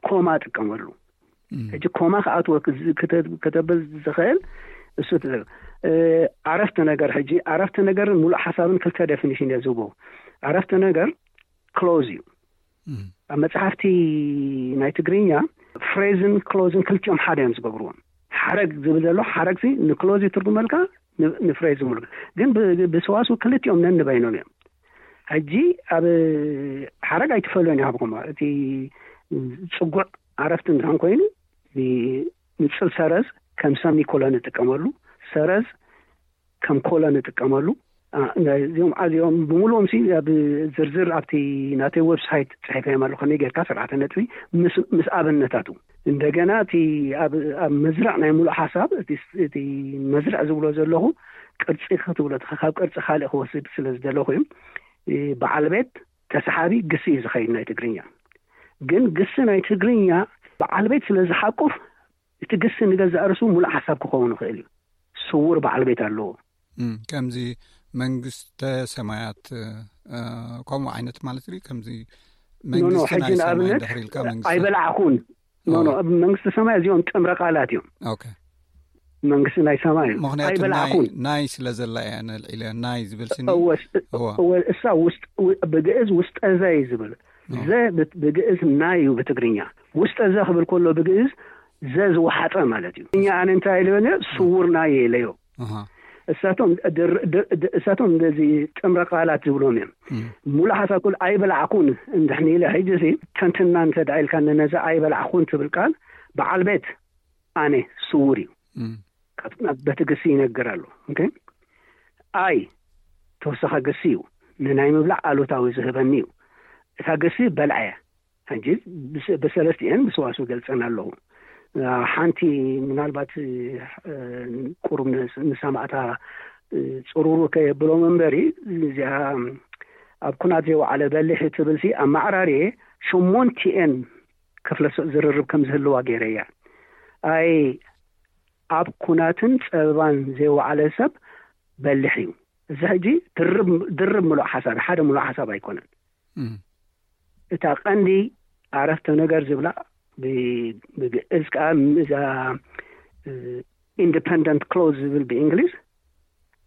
ኮማ ጥቀመሉ። ሕጂ ኮማ ክኣትወ ከተብል ዝኽእል እሱ ዓረፍተ ነገር። ሕጂ ዓረፍተ ነገር ሙሉእ ሓሳብን ክልተ ዴፊኒሽን እየ ዝህቦ። ዓረፍተ ነገር ክሎዝ እዩ። ኣብ መጽሓፍቲ ናይ ትግርኛ ፍሬዝን ክሎዝን ክልቲኦም ሓደ እዮም ዝገብርዎም። ሓረግ ዝብል ዘሎ ሓረግ ንክሎዝ ይትርጉመልካ፣ ንፍሬዝ ሙሉ ግን ብሰዋስው ክልቲኦም ነንበይኖም እዮም። ሕጂ ኣብ ሓረግ ኣይትፈልዮን ይሃብኩም። እቲ ጽጉዕ ዓረፍቲ እንድሕን ኮይኑ ንጽል ሰረዝ ከም ሰሚኮሎን ንጥቀመሉ፣ ሰረዝ ከም ኮሎን ንጥቀመሉ። እዚኦም ኣዚኦም ብምሉኦም ሲ ኣብ ዝርዝር ኣብቲ ናተይ ዌብሳይት ጽሒፈዮም ኣለኹ። ከመይ ጌርካ ስርዓተ ነጥቢ ምስ ኣብነታቱ እንደገና እቲ ኣብ መዝርዕ ናይ ሙሉእ ሓሳብ እቲ መዝርዕ ዝብሎ ዘለኹ ቅርጺ ክትብሎ ካብ ቅርጺ ካልእ ክወስድ ስለ ዝደለኹ እዩ። በዓል ቤት ተሰሓቢ ግሲ እዩ ዝኸይድ ናይ ትግርኛ። ግን ግሲ ናይ ትግርኛ በዓል ቤት ስለ ዝሓቁፍ እቲ ግሲ ንገዛእ ርእሱ ሙሉእ ሓሳብ ክኸውን ይኽእል እዩ። ስውር በዓል ቤት ኣለዎ። ከምዚ መንግስተ ሰማያት ከምኡ ዓይነት ማለት ዩ። ከምዚ መንግስቲ ናይ ሰማይ ድሕሪ ኢልካ መንግስቲ ኣይበላዕኹን ኖ ኖ ኣብ መንግስቲ ሰማይ እዚኦም ጥምረ ቃላት እዮም። ኦኬ መንግስቲ ናይ ሰማይ እዩ። ምክንያቱ ናይ- ኣይበላዕኩን ናይ ስለ ዘላ እያ ነልዒለ ናይ ዝብል ስኒ እወ እሳ ውስጥ ብግእዝ ውስጠ ዘ እዩ ዝብል። ዘ ብግእዝ ናይ እዩ ብትግርኛ። ውስጠ ዘ ክብል ከሎ ብግእዝ ዘ ዝወሓጠ ማለት እዩ። እኛ ኣነ እንታይ ኢለዮ ነይረ? ስውር ናይ ኢለዮ። እሳቶም እሳቶም እንደዚ ጥምረ ቃላት ዝብሎም እዮም። ሙሉእ ሓሳብ ኩሉ ኣይበላዕኩን እንድሕን ኢለ ሕጂ ሲ ተንትና እንተ ደኣ ኢልካ ነዛ ኣይበላዕኩን ትብል ቃል በዓል ቤት ኣነ ስውር እዩ። በቲ ግሲ ይነግር ኣሎ። ኦኬ ኣይ ተወሳኺ ግሲ እዩ። ንናይ ምብላዕ ኣሉታዊ ዝህበኒ እዩ። እታ ግሲ በልዐ። ሕጂ ብሰለስቲኤን ብሰዋስው ገልጸን ኣለኹ። ሓንቲ ምናልባት ቁሩብ ንሰማዕታ ጽሩሩ ከየብሎም እምበሪ እዚኣ ኣብ ኩናት ዘይወዓለ በሊሕ ትብልሲ ኣብ ማዕራርየ ሸሞንቲኤን ክፍለ ዝርርብ ከም ዝህልዋ ገይረያ። ኣይ ኣብ ኩናትን ጸበባን ዘይወዓለ ሰብ በሊሕ እዩ። እዚ ሕጂ ድርብ ድርብ ምሉእ ሓሳብ፣ ሓደ ምሉእ ሓሳብ ኣይኮነን። እታ ቀንዲ ኣረፍተ ነገር ዝብላ ብግእዝ ከዓ እዛ ኢንዲፐንደንት ክሎዝ ዝብል ብእንግሊዝ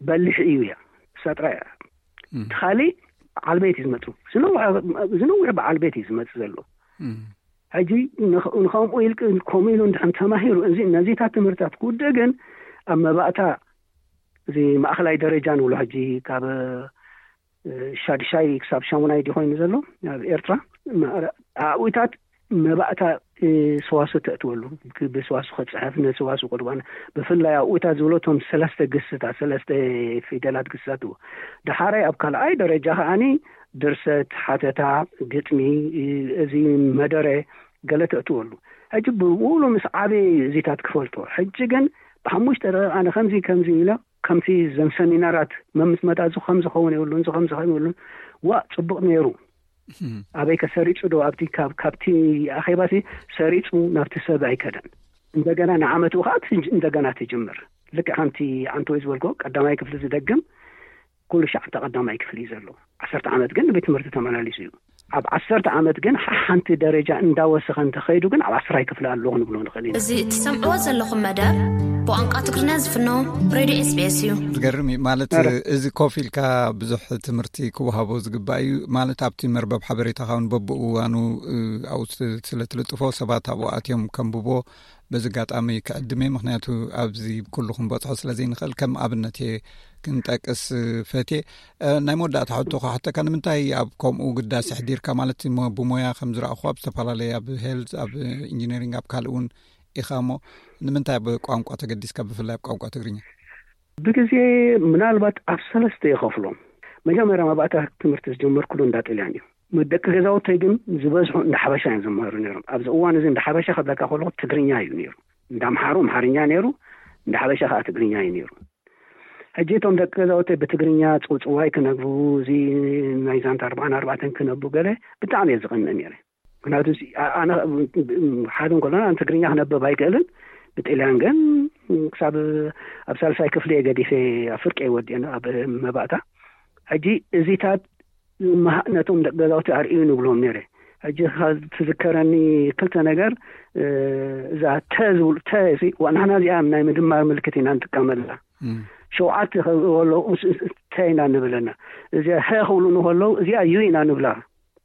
በሊሕ እዩ እያ። እሳ ጥራይ እያ። እቲ ካሊእ በዓል ቤት እዩ ዝመፁ። ዝነውሕ በዓል ቤት እዩ ዝመፅ ዘሎ። ሕጂ ንኸምኡ ኢል ከምኡ ኢሉ እንድሕን ተማሂሩ፣ እዚ ነዚታት ትምህርታት ክውድእ ግን ኣብ መባእታ እዚ ማእኸላይ ደረጃ ንብሎ ሕጂ ካብ ሻድሻይ ክሳብ ሻሙናይ ድዩ ኮይኑ ዘሎ ኣብ ኤርትራ? ኣብኡታት መባእታ ሰዋሱ ተእትወሉ፣ ብሰዋሱ ክፅሐፍ፣ ንሰዋሱ ቁርባን፣ ብፍላይ ኣብኡታት ዝብሎ እቶም ሰለስተ ግስታት፣ ሰለስተ ፊደላት ግስታት እዎ። ደሓራይ ኣብ ካልኣይ ደረጃ ከዓኒ ድርሰት፣ ሓተታ፣ ግጥሚ፣ እዚ መደረ ገለ ተእትወሉ። ሕጂ ብውሉ ምስ ዓበየ እዚታት ክፈልጦ። ሕጂ ግን ብሓሙሽተ ደቂቕ ኣነ ከምዚ ከምዚ ኢለ ከምቲ ዘን ሰሚናራት መምስ መጣዙ ከም ዝኸውን የብሉን፣ እዚ ከም ዝኸውን የብሉን። ዋ፣ ጽቡቕ ነይሩ። ኣበይ ከ ሰሪጹ ዶ? ኣብቲ ካብ ካብቲ ኣኼባሲ ሰሪጹ ናብቲ ሰብ ኣይከደን። እንደገና ንዓመቱ ከዓ ትጅ- እንደገና ትጅምር። ልክዕ ከምቲ ዓንተወይ ዝበልኮ ቀዳማይ ክፍሊ ዝደግም ኩሉ ሻዕ ኣብቲ ቀዳማይ ክፍሊ እዩ ዘሎ። ዓሰርተ ዓመት ግን ንቤት ትምህርቲ ተመላሊሱ እዩ። ኣብ ዓሰርተ ዓመት ግን ሓንቲ ደረጃ እንዳወሰኸ እንተኸይዱ ግን ኣብ ዓስራይ ክፍሊ ኣለኹ ንብሎ ንኽእል ኢና። እዚ እትሰምዕዎ ዘለኹም መደብ ብቋንቋ ትግርኛ ዝፍኖ ሬድዮ ኤስቢኤስ እዩ። ዝገርም እዩ። ማለት፣ እዚ ኮፍ ኢልካ ብዙሕ ትምህርቲ ክወሃቦ ዝግባእ እዩ። ማለት፣ ኣብቲ መርበብ ሓበሬታኻ እውን በብእዋኑ፣ እ፣ ኣብኡ ስለ ትልጥፎ ሰባት ኣብኡ ኣትዮም ከንብቦ በዚ ኣጋጣሚ ክዕድም እየ። ምኽንያቱ ኣብዚ ኩሉ ክንበጽሖ ስለ ዘይንኽእል ከም ኣብነት እየ ክንጠቅስ ፈትየ። እ፣ ናይ መወዳእታ ሕቶ ክሓተካ፣ ንምንታይ ኣብ ከምኡ ግዳስ ኣሕዲርካ? ማለት፣ ሞ-፣ ብሞያ ከም ዝረኣኹ ኣብ ዝተፈላለየ፣ ኣብ ሄልዝ፣ ኣብ ኢንጂነሪንግ፣ ኣብ ካልእ እውን ኢኻ እሞ፣ ንምንታይ ኣብ ቋንቋ ተገዲስካ፣ ብፍላይ ኣብ ቋንቋ ትግርኛ? ብግዜ ምናልባት ኣብ ሰለስተ ይኸፍሎም። መጀመርያ መባእታ ትምህርቲ ዝጀመርኩሉ እንዳ ጥልያን እዩ። ደቂ ገዛውተይ ግን ዝበዝሑ እንዳ ሓበሻ እዮም ዝመሃሩ ነይሮም። ኣብዚ እዋን እዚ እንዳ ሓበሻ ክብለካ ከለኹ ትግርኛ እዩ ነይሩ። እንዳ ኣምሓሩ ኣምሓርኛ ነይሩ፣ እንዳ ሓበሻ ከዓ ትግርኛ እዩ ነይሩ። ሕጂ እቶም ደቂ ገዛውተይ ብትግርኛ ጽውጽዋይ ክነግሩ፣ እዚ ናይ ዛንታ ኣርባዓን ኣርባዕተን ክነቡ ገለ ብጣዕሚ እየ ዝቐንእ ነይረ። ምክንያቱ እዚ ኣ-፣ ኣነ ሓደ እንከሎና ትግርኛ ክነብብ ኣይክእልን፣ ብጥልያን ግን ክሳብ ኣብ ሳልሳይ ክፍሊ እየ ገዲፈ፣ ኣብ ፍርቂ እየ ወዲአን ኣብ መባእታ። ሕጂ እዚታት መሃ-፣ ነቶም ደቂ ገዛውቲ ኣርእዩ ንብሎም ነይረ። ሕጂ ከ-፣ ትዝከረኒ ክልተ ነገር፣ እ፣ እዛ ተ ዝብሉ፣ ተ ሲ፣ ዋ፣ ንሕና እዚኣ ናይ ምድማር ምልክት ኢና ንጥቀመላ። እም። ሸውዓተ ከለዉ ተ ኢና ንብለና። እዚኣ ሀ ክብሉ ንከለዉ እዚኣ ዩ ኢና ንብላ።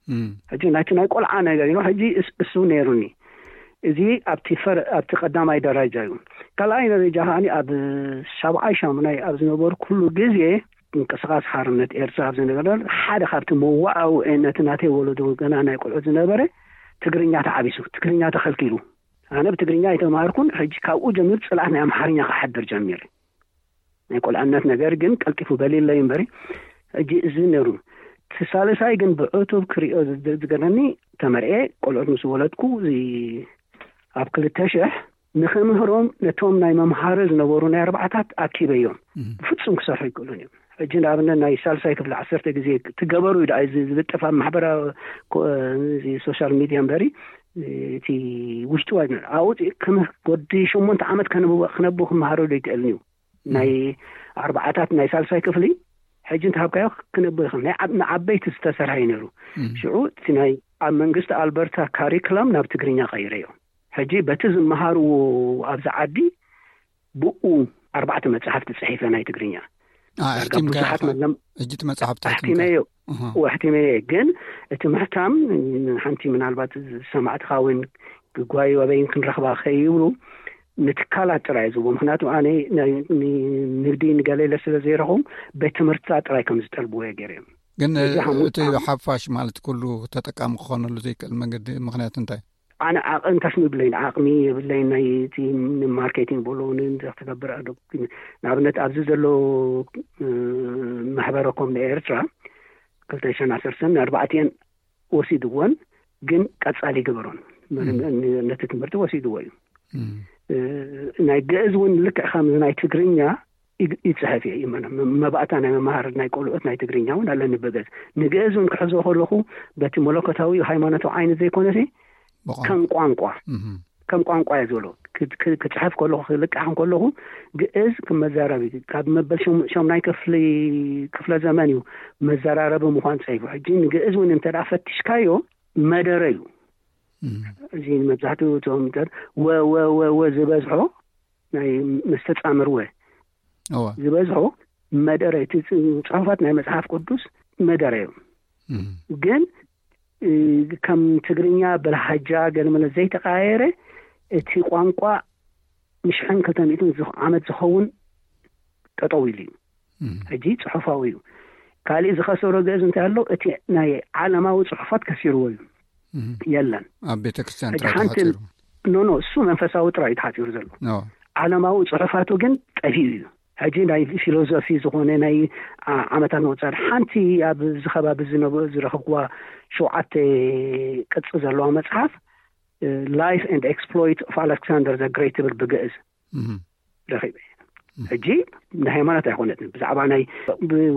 እም። ሕጂ ናይቲ ናይ ቆልዓ ነገር እዩ። ሕጂ እስ-፣ እሱ ነይሩኒ። እዚ ኣብቲ ፈር-፣ ኣብቲ ቀዳማይ ደረጃ እዩ። ካልኣይ ደረጃ ከዓኒ ኣብ ሻብዓይ ሻሙናይ ኣብ ዝነበርኩሉ ግዜ ምንቅስቃስ ሓርነት ኤርትራ ኣብ ዝነበረ ሓደ ካብቲ መዋዕውዒ ነቲ ናተይ ወለዶ ገና ናይ ቆልዑ ዝነበረ ትግርኛ ተዓቢሱ፣ ትግርኛ ተኸልኪሉ። ኣነ ብትግርኛ ኣይተማሃርኩን። ሕጂ ካብኡ ጀሚሩ ጽልኣት ናይ ኣምሓርኛ ክሓድር ጀሚረ። ናይ ቆልዕነት ነገር ግን ቀልጢፉ በሊለይ እምበሪ፣ ሕጂ እዚ ነይሩ። እቲ ሳልሳይ ግን ብዕቱብ ክሪኦ ዝ-፣ ዝገርመኒ፣ ተመርኤ ቆልዑት ምስ ወለድኩ፣ እዚ ኣብ ክልተ ሽሕ ንኽምህሮም ነቶም ናይ መምሃሪ ዝነበሩ ናይ ኣርባዓታት ኣኪበዮም። እም። ብፍጹም ክሰርሑ ኣይክእሉን እዮም። ሕጂ ንኣብነት ናይ ሳልሳይ ክፍሊ ዓሰርተ ግዜ ትገበሩ እዩ ደኣ እዚ ዝልጠፍ ኣብ ማሕበራዊ ኮ-፣ እዚ ሶሻል ሚድያ እምበሪ፣ እቲ ውሽጡ ኣይነ-፣ ኣብኡ ክም-፣ ወዲ ሸሞንተ ዓመት ከነብ-፣ ክነብ ክመሃሮ ዶ ይክእልን እዩ? ናይ ኣርባዓታት ናይ ሳልሳይ ክፍሊ ሕጂ እንተሃብካዮ ክነብ ይኽእል። ናይ ዓብ-፣ ንዓበይቲ ዝተሰርሐ እዩ ነይሩ። እም። ሽዑ እቲ ናይ ኣብ መንግስቲ ኣልበርታ ካሪክለም ናብ ትግርኛ ቀይረዮ። ሕጂ በቲ ዝመሃርዎ ኣብዚ ዓዲ ብኡ ኣርባዕተ መጽሓፍቲ ጽሒፈ ናይ ትግርኛ። አ፣ ዳርጋ ኣሕቲምካ ብዙሓት ኢኻ? መለም-፣ ሕጂ እቲ መጽሓፍቲ ኣሕቲምካ? ኣሕቲመዮ። ኣሃ። ወ-፣ ኣሕቲመዮ። ግን እቲ ምሕታም ሓንቲ ምናልባት ሰማዕትኻ እውን ግጓዩ ኣበይን ክንረኽባ ከይብሉ ንትካላት ጥራይ ዝብሉ። ምኽንያቱ ኣነ ናይ፣ ን-፣ ንግዲ ንገሌለ ስለ ዘይረኹም ቤት ትምህርትታት ጥራይ ከም ዝጠልብዎ እየ ገይረዮም። ግን እዚ ሓሙሽተ እቲ ዓመት ሓፋሽ ማለት ኩሉ ተጠቃሚ ክኾነሉ ዘይክእል መንገዲ ምኽንያት እንታይ? ኣነ ዓቐን ታሽሚ የብለይን፣ ዓቕሚ የብለይን፣ ናይ እቲ ማርኬቲንግ በሎ ንእንተ ክትገብር ኣዶ-፣ ንኣብነት ኣብዚ ዘሎ፣ እ፣ ማሕበረ ኮም ንኤርትራ ክልተ ሽሕን ዓሰርተን ኣርባዕተን ወሲድዎን ግን ቀጻሊ ይገበሮን። ም። ን-፣ ነቲ ትምህርቲ ወሲድዎ እዩ። ም። እ፣ ናይ ግእዝ እውን ልክዕ ከምዚ ናይ ትግርኛ ይግ-፣ ይጽሕፍ እየ። ይመ-፣ መ-፣ መባእታ ናይ መምሃር ናይ ቆልዑት ናይ ትግርኛ እውን ኣለኒ ብግእዝ። ንግእዝ እውን ክሕዞ ከለኹ በቲ መለኮታዊ ሃይማኖታዊ ዓይነት ዘይኮነሲ ብቋንቋ። ከም ቋንቋ፣ እህ። ከም ቋንቋ እየ ዝብሎ። ክጽሕፍ ከለኹ፣ ክልቃሕ ከለኹ፣ ግእዝ ክመዛረብ እዩ። ካብ መበል ሸምናይ ክፍሊ ክፍለ ዘመን እዩ መዘራረቢ ምዃን ጸይቡ። ሕጂ ንግእዝ እውን እንተ ፈቲሽካዮ፣ መደረ እዩ። እዚ መብዛሕትኡ እቶም ወ ወ ወ ዝበዝሖ ናይ መስተጻምር ወ ዝበዝሖ መደረ፣ እቲ ጽሑፋት ናይ መጽሓፍ ቅዱስ መደረ እዮም። ግን ከም ትግርኛ ብልሃጃ ገለመለ ዘይተቀያየረ፣ እቲ ቋንቋ ንሽሕን ክልተ ሚእትን ዓመት ዝኸውን ጠጠው ኢሉ እዩ። ሕጂ ጽሑፋዊ እዩ። ካሊእ ዝኸሰሮ ግእዝ እንታይ ኣሎ? እቲ ናይ ዓለማዊ ጽሑፋት ከሲርዎ እዩ። የለን። ኣብ ቤተክርስትያን ጥራይ ተሓጺሩ። ኖ ኖ፣ እሱ መንፈሳዊ ጥራይ እዩ ተሓጺሩ ዘሎ። ዓለማዊ ጽሑፋቱ ግን ጠፊኡ እዩ። ሕጂ ናይ ፊሎዞፊ ዝኾነ ናይ ዓመታት ምቁጻር፣ ሓንቲ ኣብዚ ከባቢ ዝረኸብኩዋ ሸውዓተ ቅጽ ዘለዋ መጽሓፍ፣ Life and Exploit of Alexander the Great ትብል ብግእዝ ረኺበ። ሕጂ ንሃይማኖት ኣይኮነትን፣ ብዛዕባ ናይ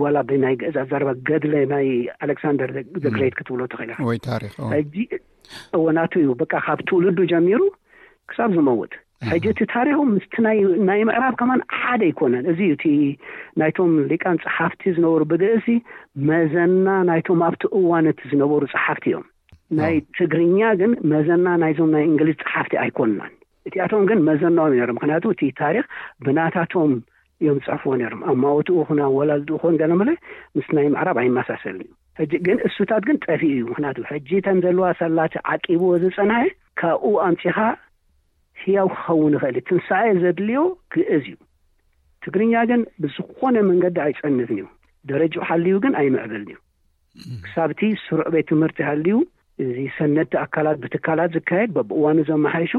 ዋላ ብናይ ግእዝ ኣዛረባ ገድለ ናይ ኣሌክሳንደር ዘግሬት ክትብሎ ትኽእል ኢኻ። ወይ ታሪኽ። ሕጂ እወ ናቱ እዩ፣ በቃ ካብ ትውልዱ ጀሚሩ ክሳብ ዝመውት። ሕጂ እቲ ታሪኹ ምስቲ ናይ ምዕራብ ከማን ሓደ ኣይኮነን። እዚ እዩ እቲ ናይቶም ሊቃን ጸሓፍቲ ዝነበሩ ብግእዝ መዘና ናይቶም ኣብቲ እዋን እቲ ዝነበሩ ጸሓፍቲ እዮም። ናይ ትግርኛ ግን መዘና ናይዞም ናይ እንግሊዝ ጸሓፍቲ ኣይኮንናን። እቲኣቶም ግን መዘናኦም ነይሮም፣ ምክንያቱ እቲ ታሪኽ ብናታቶም እዮም ዝጽሕፍዎ ነይሮም። ኣማውትኡ ኹን ኣወላልድኡ ኹን ገለመለ ምስ ናይ ምዕራብ ኣይመሳሰልን እዩ። ሕጂ ግን እሱታት ግን ጠፊኡ እዩ። ምክንያቱ ሕጂ እተን ዘለዋ ሰላቲ ዓቂብዎ ዝጸንሐ ካብኡ ኣምጺኻ ህያው ክኸውን ይኽእል እዩ። ትንሳኤ ዘድልዮ ግእዝ እዩ። ትግርኛ ግን ብዝኾነ መንገዲ ኣይጸንትን እዩ። ደረጃ ሓልዩ ግን ኣይምዕብልን እዩ። ክሳብቲ ስሩዕ ቤት ትምህርቲ ሃልዩ፣ እዚ ሰነድቲ ኣካላት ብትካላት ዝካየድ በብእዋኑ ዘመሓይሾ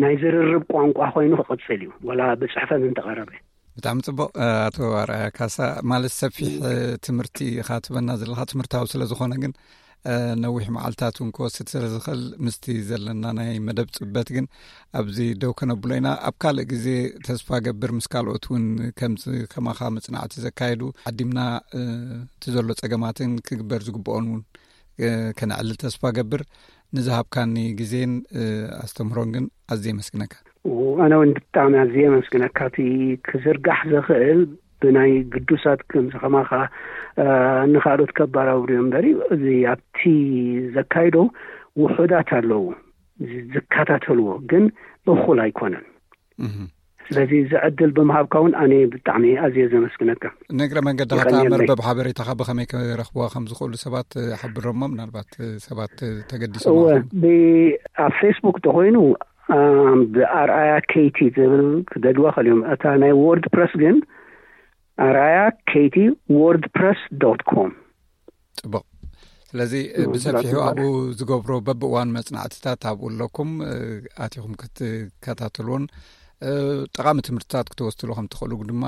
ናይ ዝርርብ ቋንቋ ኮይኑ ክቕጽል እዩ፣ ወላ ብጽሕፈት እንተቐረበ። ብጣዕሚ ጽቡቕ። ኣቶ ኣርኣያ ካሳ፣ ማለት ሰፊሕ ትምህርቲ ኢኻ ትበና ዘለኻ፣ ትምህርታዊ ስለ ዝኾነ ግን ነዊሕ መዓልታት እውን ክወስድ ስለ ዝኽእል ምስቲ ዘለና ናይ መደብ ጽበት ግን ኣብዚ ደው ከነብሎ ኢና። ኣብ ካልእ ግዜ ተስፋ ገብር ምስ ካልኦት እውን ከምዚ ከማኻ መጽናዕቲ ዘካየዱ ዓዲምና እቲ ዘሎ ጸገማትን ክግበር ዝግብኦን እውን ከነዕልል ተስፋ ገብር። ንዝሃብካኒ ግዜን ኣስተምህሮን ግን ኣዝየ የመስግነካ። ኣነ እውን ብጣዕሚ ኣዝየ የመስግነካ። እቲ ክዝርጋሕ ዝኽእል ብናይ ግዱሳት ከምዚ ከማኻ ንኻልኦት ከባራብሩ እዮም እምበሪ፣ እዚ ኣብቲ ዘካይዶ ውሑዳት ኣለዉ ዝከታተልዎ፣ ግን እኹል ኣይኮነን። ስለዚ እዚ ዕድል ብምሃብካ እውን ኣነ ብጣዕሚ ኣዝየ ዘመስግነካ። ንእግረ መንገድኻ እታ መርበብ ሓበሬታኻ ብኸመይ ክረኽብዋ ከም ዝኽእሉ ሰባት ሓብሮሞ፣ ምናልባት ሰባት ተገዲሶም እወ፣ ኣብ ፌስቡክ ተኾይኑ ብኣርኣያ ኬይቲ ዝብል ክደልዋ ኸልዮም። እታ ናይ ዎርድ ፕረስ ግን ኣርኣያ ኬይቲ ዎርድ ፕረስ ዶት ኮም። ጽቡቕ። ስለዚ ብሰፊሑ ኣብኡ ዝገብሮ በብእዋን መጽናዕትታት ኣብኡ ኣለኩም፣ ኣቲኹም ክትከታተልዎን ጠቓሚ ትምህርትታት ክትወስድሉ ከም ትኽእሉ ድማ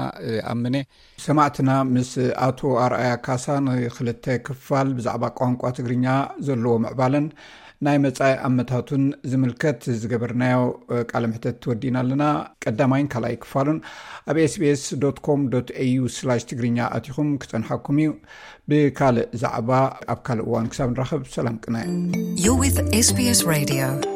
ኣምነ። ሰማዕትና ምስ ኣቶ ኣርኣያ ካሳ ንክልተ ክፋል ብዛዕባ ቋንቋ ትግርኛ ዘለዎ ምዕባለን ናይ መጻኢ ኣመታቱን ዝምልከት ዝገበርናዮ ቃለ ምሕተት ወዲእና ኣለና። ቀዳማይን ካልኣይ ክፋሉን ኣብ ኤስቢኤስ ዶት ኮም ዶት ኤዩ ስላሽ ትግርኛ ኣቲኹም ክጸንሓኩም እዩ። ብካልእ ዛዕባ ኣብ ካልእ እዋን ክሳብ ንራኸብ ሰላም ቅነ። You're with SBS Radio.